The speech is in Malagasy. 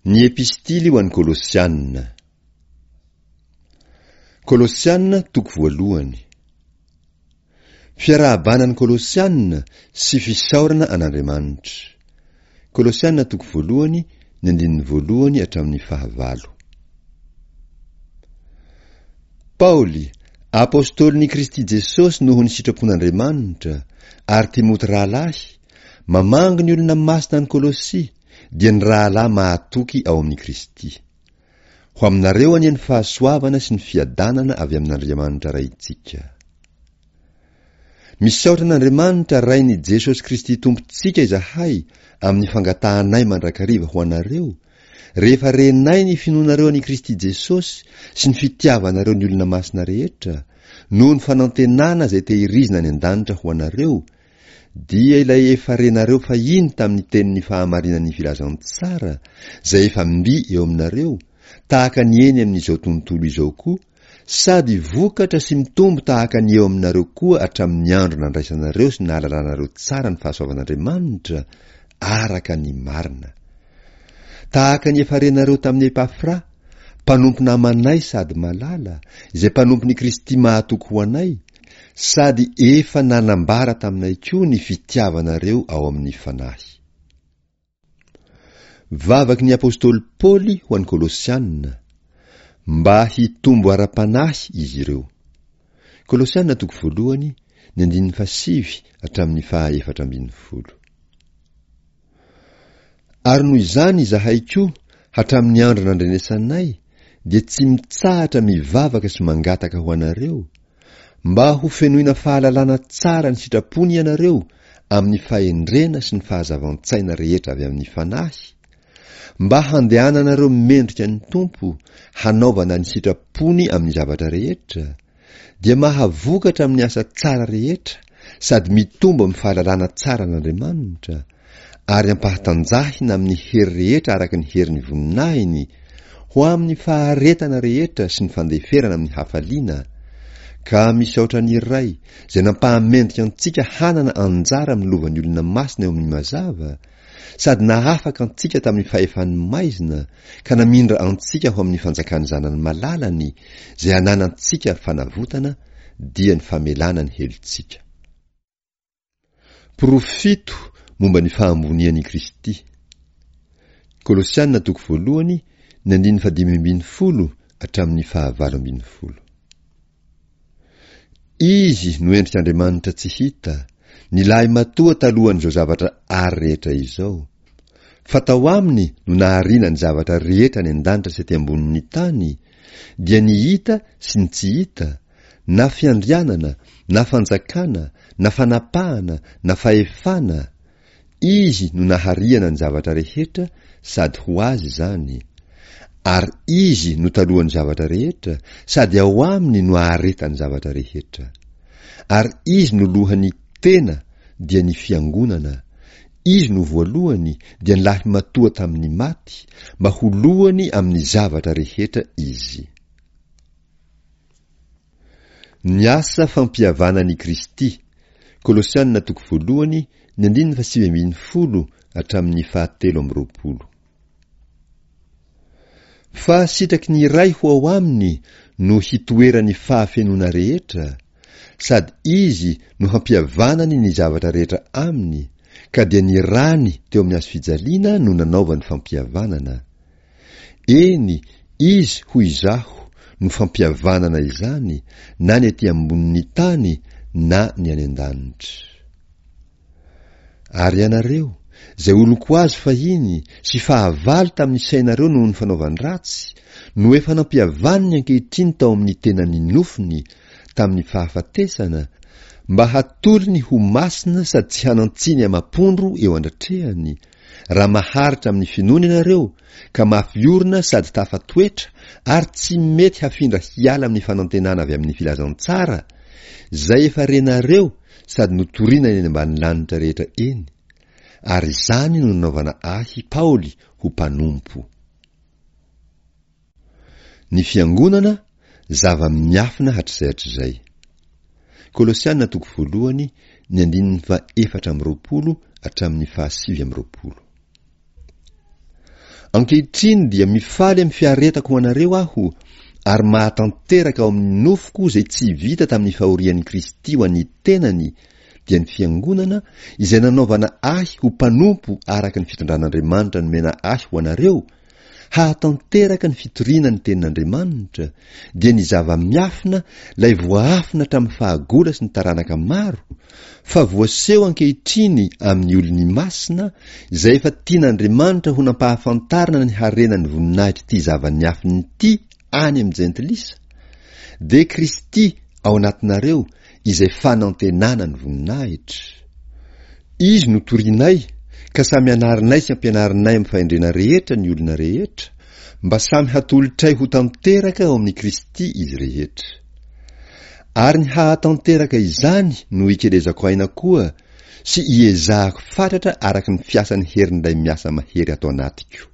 Ny Epistily ho an'ny Kolosiana. Kolosiana toko voalohany. Fiarahabana ny Kolosiana sy fisaorana an'Andriamanitra. Kolosiana toko voalohany, ny andininy voalohany hatramin'ny fahavalo. Paoly, apostolin'i Kristy Jesosy noho ny sitrapon'Andriamanitra, ary Timoty rahalahy, mamangy ny olona masina any Kolosia, dia ny rahalahy mahatoky ao amin'i Kristy. Ho aminareo anie ny fahasoavana sy ny fiadanana avy amin'Andriamanitra Raintsika. Misaotra an'Andriamanitra Rain'i Jesosy Kristy Tompontsika izahay amin'ny fangatahanay mandrakariva ho anareo, rehefa renay ny finoanareo an'i Kristy Jesosy sy ny fitiavanareo ny olona masina rehetra, noho ny fanantenana izay tehirizina any an-danitra ho anareo, dia ilay efa renareo fahiny tamin'ny tenin'ny fahamarinan'ny filazantsara, izay efa mby eo aminareo, tahaka ny eny amin'izao tontolo izao koa, sady vokatra sy mitombo tahaka ny eo aminareo koa hatramin'ny andro nandraisanareo sy nahalalanareo tsara ny fahasoavan'Andriamanitra araka ny marina. Tahaka ny efa renareo tamin'i Epafra, mpanompo namanay sady malala, izay mpanompon'i Kristy mahatoky ho anay, sady efa nanambara taminay koa ny fitiavanareo ao amin'ny Fanahy. Vavaky ny apostoly Paoly ho an'ny Kolosiana, mba hitombo ara-panahy izy ireo. Kolosiana toko voalohany, ny andininy fahasivy hatramin'ny faha 14. Ary noho izany izahay koa, hatramin'ny andro nandrenesanay, dia tsy mitsahatra mivavaka sy mangataka ho anareo, mba ho fenoina fahalalana tsara ny sitrapony ianareo amin'ny fahendrena sy ny fahazavan-tsaina rehetra avy amin'ny Fanahy, mba handehananareo mendrika ny Tompo hanaovana ny sitrapony amin'ny zavatra rehetra, dia mahavokatra amin'ny asa tsara rehetra sady mitombo amin'ny fahalalana tsara an'Andriamanitra, ary ampahatanjahina amin'ny hery rehetra araka ny herin'ny voninahiny, ho amin'ny faharetana rehetra sy ny fandeferana amin'ny hafaliana, ka misaotra ny Ray izay nampahamendrika antsika hanana anjara amin'ny lovan'ny olona masina eo amin'ny mazava, sady nahafaka antsika tamin'ny fahefan'ny maizina ka namindra antsika ho amin'ny fanjakan'ny Zanany malalany izay ananantsika fanavotana dia ny famelana ny helotsika. Porofo fito momba ny fahambonian'i Kristy. Kolosiana toko voalohany ny andininy fahadimy ambin'ny folo hatramin'ny fahavalo ambin'ny folo. Izy no endrik'Andriamanitra tsy hita, ny lahimatoa talohan'izao zavatra ary rehetra izao. Fa tao aminy no nahariana ny zavatra rehetra any an-danitra sy aty ambonin'ny tany, dia ny hita sy ny tsy hita, na fiandrianana, na fanjakana, na fanapahana, na fahefana, Izy no nahariana ny zavatra rehetra sady ho Azy izany, ary Izy no talohan'ny zavatra rehetra sady ao Aminy no aharetan'ny zavatra rehetra. Ary Izy no lohan'ny tena dia ny Fiangonana, Izy no voalohany dia ny lahimatoa tamin'ny maty, mba ho lohany amin'ny zavatra rehetra Izy. Ny asa fampihavanan'i Kristy, Kolosiana toko voalohany, ny andininy faha-19 hatramin'ny faha-23. Fa sitraky ny Ray ho ao aminy no hitoeran'ny fahafenoana rehetra, sady Izy no hampihavanany ny zavatra rehetra aminy, ka dia ny rany teo amin'ny hazofijaliana no nanaovany fampihavanana. Eny, Izy, hoy izaho, no fampihavanana izany, na ny aty ambonin'ny tany na ny any an-danitra. Ary ianareo, izay olon-ko azy fahiny sy fahavalo tamin'ny sainareo noho ny fanaovan-dratsy, no efa nampihavaniny ankehitriny tao amin'ny tenan'ny nofony, tamin'ny fahafatesana, mba hatolony ho masina sady tsy hanan-tsiny amam-pondro eo andratrehany, Raha maharitra amin'ny finoana ianareo, ka mafy orina sady tafatoetra ary tsy mety hafindra hiala amin'ny fanantenana avy amin'ny filazantsara, izay efa renareo sady notorina eny ambany lanitra rehetra eny, ary izany no nanaovana ahy, Paoly, ho mpanompo. Ny Fiangonana, zava-miafina hatrizay hatrizay. Kolosiana toko voalohany, ny andininy faha-24 hatramin'ny faha-29. Ankehitriny dia mifaly amin'ny fiaretako ho anareo aho, ary mahatanteraka ao amin'ny nofoko izay tsy vita tamin'ny fahorian'i Kristy ho an'ny tenany, dia ny Fiangonana, izay nanaovana ahy ho mpanompo araka ny fitondran'Andriamanitra nomena ahy ho anareo, hahatanteraka ny fitoriana ny Tenin'Andriamanitra, dia ny zava-miafina, ilay voaafina hatramin'ny fahagola sy ny taranaka maro, fa voaseho ankehitriny amin'ny olony masina, izay efa tian'Andriamanitra ho nampahafantarina ny harenan'ny voninahitr'ity zava-niafina ity any amin'ny Jentilisa, dia Kristy ao anatinareo izay fanantenana ny voninahitra. Izy no torinay, ka samy anarinay sy ampianarinay amin'ny fahendrena rehetra ny olona rehetra, mba samy hatolotray ho tanteraka ao amin'i Kristy izy rehetra. Ary ny hahatanteraka izany no ikelezako aina koa sy iezahako fatratra araka ny fiasan'ny herin'ilay miasa mahery ato anatiko.